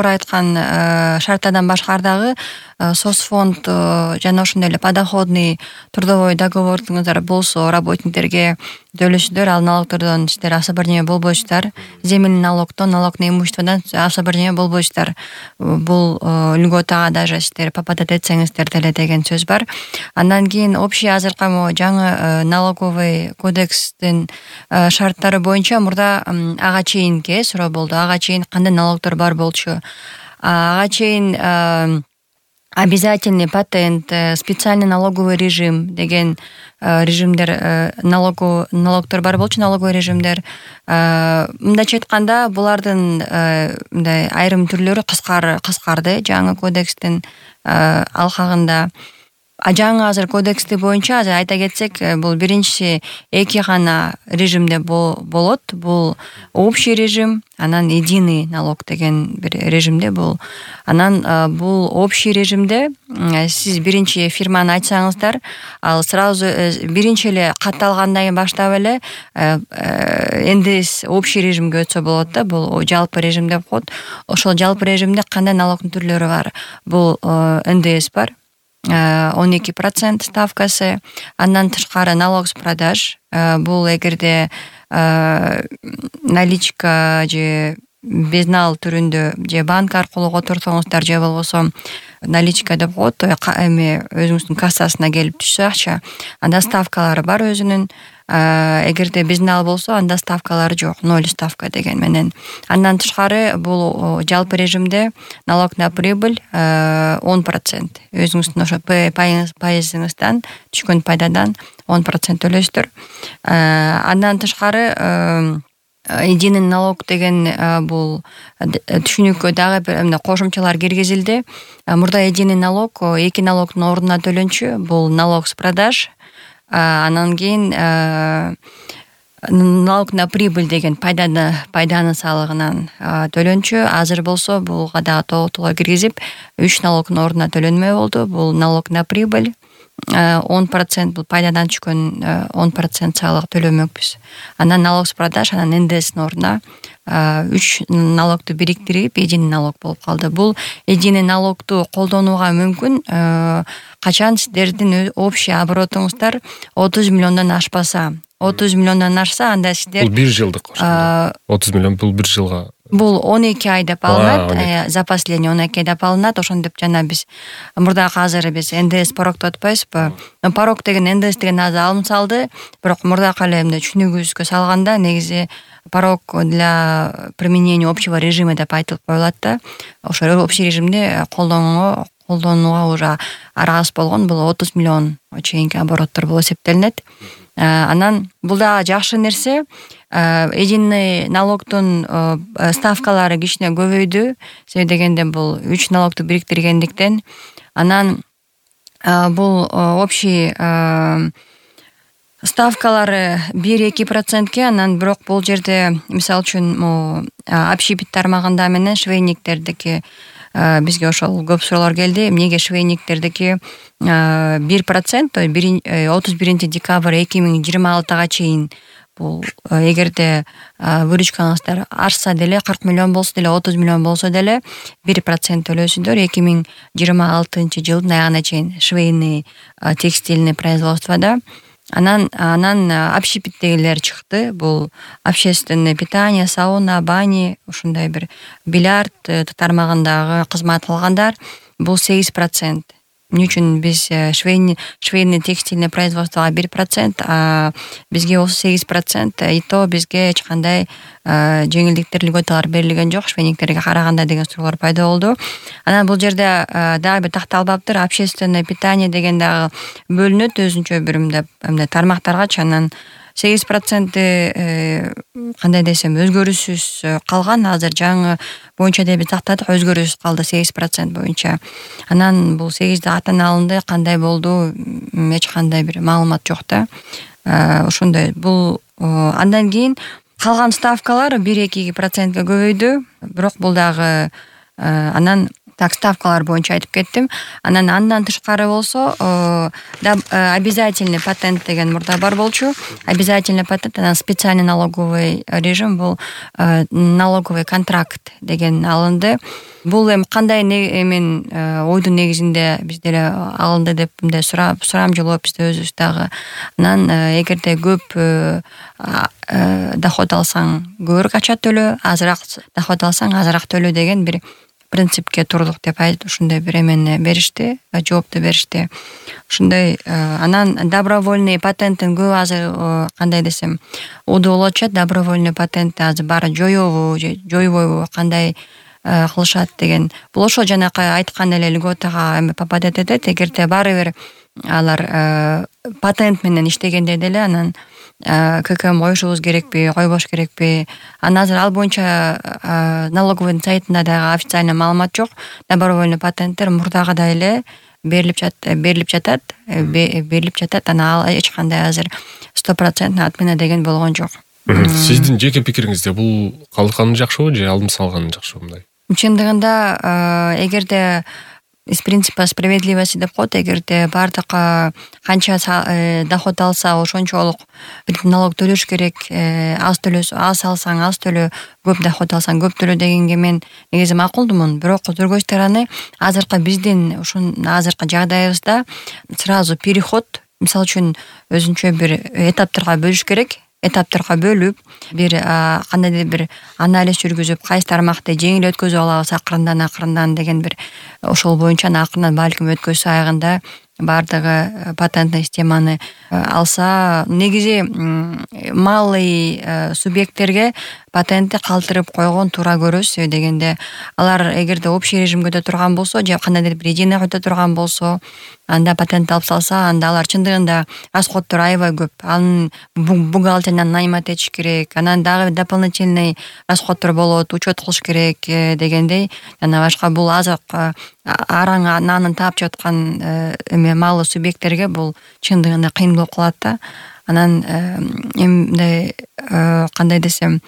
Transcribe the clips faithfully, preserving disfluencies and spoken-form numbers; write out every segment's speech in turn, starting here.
жогору айткан шарттардан башкары дагы соцфонд жана ошондой эле подоходный трудовой договоруңуздар болсо работниктерге төлөсүздөр, ал налогтордон сиздер особо бир неме болбойсуздар. Земельный налогдон, налог на имуществодон особо бир неме болбойсуздар. Бул льготага даже сиздер попадать этсеңиздер деле деген сөз бар. Андан кийин общий азыркы жаңы налоговый кодекстин шарттары боюнча мурда ага чейинки суроо болду. Ага чейин кандай налогтор бар болчу? Ага чейин обязательный патент, специальный налоговый режим деген режимдер, налогу налогтор бар болчу, налоговый режимдер. Мындайча айтканда, булардын мындай айрым түрлөрү кыскар кыскарды жаңы кодекстин алкагында. А жаңы азыр кодексти боюнча азыр айта кетсек, бул биринчиси эки гана режимде болот. Бул общий режим, анан единый налог деген бир режимде бул. Анан бул общий режимде сиз биринчи фирманы ачсаңыздар, ал сразу биринчи эле катталгандан кийин баштап эле эн дэ эс общий режимге өтсө болот да. Бул жалпы режим деп коет. Ошол жалпы режимде кандай налогдун түрлөрү бар? Бул эн дэ эс бар. он эки процент ставкасы, андан тышкары налог с продаж. Бул эгерде наличка же безнал түрүндө же банк аркылуу отурсоңуздар же болбосо наличка деп коет, эми өзүңүздүн кассасына келип түшсө акча, анда ставкалары бар өзүнүн. Эгерде безнал болсо, анда ставкалары жок, ноль ставка деген менен. Андан тышкары бул жалпы режимде налог на прибыль он процент. Өзүңүздүн ошо пайызыңыздан түшкөн пайдадан он процент төлөйсүздөр. Андан тышкары единый налог деген бул түшүнүккө дагы бир кошумчалар киргизилди. Мурда единый налог эки налогдун ордуна төлөнчү. Бул налог с продаж, анан кийин налог на прибыль деген пайданы пайданы салыгынан төлөнчү. Азыр болсо булга дагы толук киргизип үч налогдун ордуна төлөнмөй болду. Бул налог на прибыль он процент, бул пайдадан түшкөн он процент салык төлөмөкпүз. Анан налог с продаж, анан эн дэ эстин ордуна үч налогду бириктирип единый налог болуп калды. Бул единый налогду колдонууга мүмкүн качан сиздердин общий оборотуңуздар отуз миллиондон ашпаса. отуз миллиондон ашса, анда сиздер бул бир жылдык ошондо. отуз миллион бул бир жылга. Бул он эки ай деп алынат, запасление он эки ай деп алынат. Ошондоп жана биз мурда азыр биз эн дэ эс порогду атпайбызбы? Порог деген эн дэ эс деген азыр алым салды, бирок мурда кале эмне түшүнүгүбүзгө салганда негизи порог для применения общего режима деп айтылып коюлат да. Ошо общий режимде колдонууга колдонууга уже аргасыз болгон бул отуз миллион чейинки обороттор болуп эсептелинет. Анан бул дагы жакшы нерсе. Единый налогдун ставкалары кичине көбөйдү. Себеби дегенде бул үч налогду бириктиргендиктен. Анан бул общий ставкалары бир-эки процентке, анан бирок бул жерде мисалы үчүн общепит тармагында менен швейниктердики бизге ошол көп суроолор келди. Эмнеге швейниктердики бир процент, отуз биринчи декабрь эки миң жыйырма алтыга чейин бул эгерде выручкаңыздар ашса деле, кырк миллион болсо деле, отуз миллион болсо деле бир процент төлөйсүздөр. эки миң жыйырма алтынчы жылдын аягына чейин швейный, текстильный производствода. Анан анан общепиттегилер чыкты. Бул общественное питание, сауна, бани, ушундай бир бильярд тармагындагы кызмат алгандар. Бул сегиз процент. Эмне үчүн биз швейный, швейный текстильный производствога бир процент, а бизге болсо сегиз процент, и то бизге эч кандай жеңилдиктер, льготалар берилген жок швейниктерге караганда деген суроолор пайда болду. Анан бул жерде дагы бир такталбаптыр. Общественное питание деген дагы бөлүнөт өзүнчө бир эмне тармактаргачы. Анан сегиз проценти кандай десем өзгөрүүсүз калган. Азыр жаңы боюнча деп тактадык, өзгөрүүсүз калды сегиз процент боюнча. Анан бул сегиз катан алынды, кандай болду, эч кандай бир маалымат жок да. Ошондой бул андан кийин калган ставкалар бир-эки процентке көбөйдү. Бирок бул дагы анан так ставкалар боюнча айтып кеттим. Анан андан тышкары болсо обязательный патент деген мурда бар болчу. Обязательный патент анан специальный налоговый режим, бул налоговый контракт деген алынды. Бул эми кандай мен ойдун негизинде бизде эле алынды деп мындай сурап сурам жолоп бизде өзүбүз дагы. Анан эгерде көп доход алсаң көбүрөөк акча төлөө, азыраак доход алсаң азыраак төлөө деген бир принципке турдук деп айтып ушундай бир эмени беришти, жоопту беришти. Ушундай анан добровольный патенттин көп азыр кандай десем уду болуп атат. Добровольный патентти азыр баары жоёбу же жойбойбу, кандай кылышат деген. Бул ошол жанакы айткан эле льготага эми попадать этет. Эгерде баары бир алар патент менен иштегенде деле анан ККМ коюшубуз керекпи, койбош керекпи? Анан азыр ал боюнча налоговый сайтында дагы официальный маалымат жок. Добровольный патенттер мурдагыдай эле берилип жатат, берилип жатат, берилип жатат. Анан ал эч кандай азыр сто процент отмена деген болгон жок. Сиздин жеке пикириңизде бул калканы жакшыбы же алым салганы жакшыбы мындай? Чындыгында эгерде из принципа справедливости деп коет, эгерде бардык канча доход алса ошончолук налог төлөш керек, аз төлөсө аз алсаң аз төлөө, көп доход алсаң көп төлөө дегенге мен негизи макулдумун. Бирок другой стороны азыркы биздин ушун азыркы жагдайыбызда сразу переход, мисалы үчүн өзүнчө бир этаптарга бөлүш керек. Этаптарга бөлүп, бир кандайдыр бир анализ жүргүзүп, кайсы тармакты жеңил өткөзүп алабыз акырындан акырындан деген бир ошол боюнча акырындан балким өткөзсө аягында бардыгы патентный системаны алса, негизи малый субъекттерге патентти калтырып койгон туура көрөсүз дегенде, алар эгерде общий режимге өтө турган болсо же кандайдыр бир единый өтө турган болсо, анда патент алып салса, анда алар чындыгында расходдор аябай көп. Анын бухгалтеринен наймат этиш керек, анан дагы дополнительный расходдор болот, учет кылыш керек дегендей. Жана башка бул азык араң нанын таап жаткан эме малый субъекттерге бул чындыгында кыйын болуп калат да. Анан эмне кандай десем,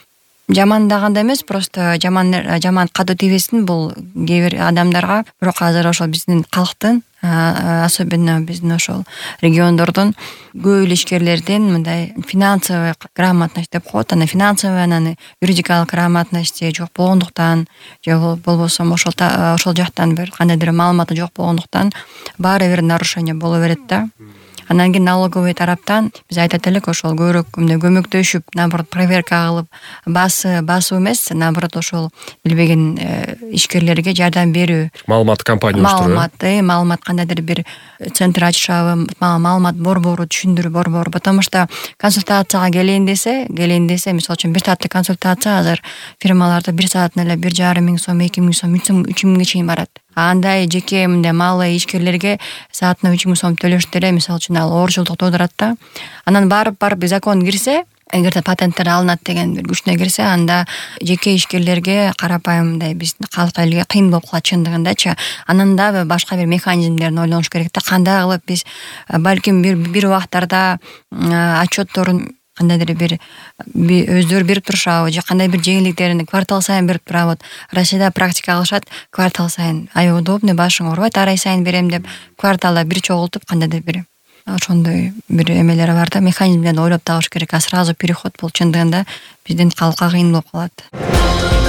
жаман даганда эмес, просто жаман жаман катуу тийбесин бул кээ бир адамдарга. Бирок азыр ошол биздин калктын, особенно биздин ошол региондордун көп эле ишкерлердин мындай финансовый грамотность деп коет. Анан финансовый анан юридикалык грамотности жок болгондуктан, же болбосо ошол ошол жактан бир кандайдыр маалыматы жок болгондуктан баары бир нарушение боло берет да. Анан кийин налоговый тараптан биз айтат элек, ошол көбүрөөк мындай көмөктөшүп, наоборот проверка кылып, басы басуу эмес, наоборот ошол билбеген ишкерлерге жардам берүү. Маалымат компания маалымат, маалымат кандайдыр бир центр ачышабы, маалымат борбору, түшүндүрүү борбору. Потому что консультацияга келейин десе, келейин десе, мисалы үчүн бир сааттык консультация азыр фирмаларда бир саатына эле бир жарым миң сом, эки миң сом, үч миңге чейин барат. Андай жеке мындай малый ишкерлерге саатына үч миң сом төлөштү эле, мисалы үчүн ал оорчулдук туудурат да. Анан барып барып закон кирсе, эгерде патенттер алынат деген бир күчүнө кирсе, анда жеке ишкерлерге карапайым мындай биздин калк элге кыйын болуп калат чындыгындачы. Анан дагы башка бир механизмдерин ойлонуш керек да, кандай кылып биз балким бир бир убактарда отчетторун кандайдыр бир өздөрү берип турушабы, же кандай бир жеңилдиктерин квартал сайын берип турабы. Россияда практика кылышат, квартал сайын аябай удобный, башың оорубайт, ар ай сайын берем деп кварталда бир чогултуп кандайдыр бир ошондой бир эмелери бар да, механизмдерди ойлоп табыш керек. А сразу переход бул чындыгында биздин калкка кыйын болуп калат.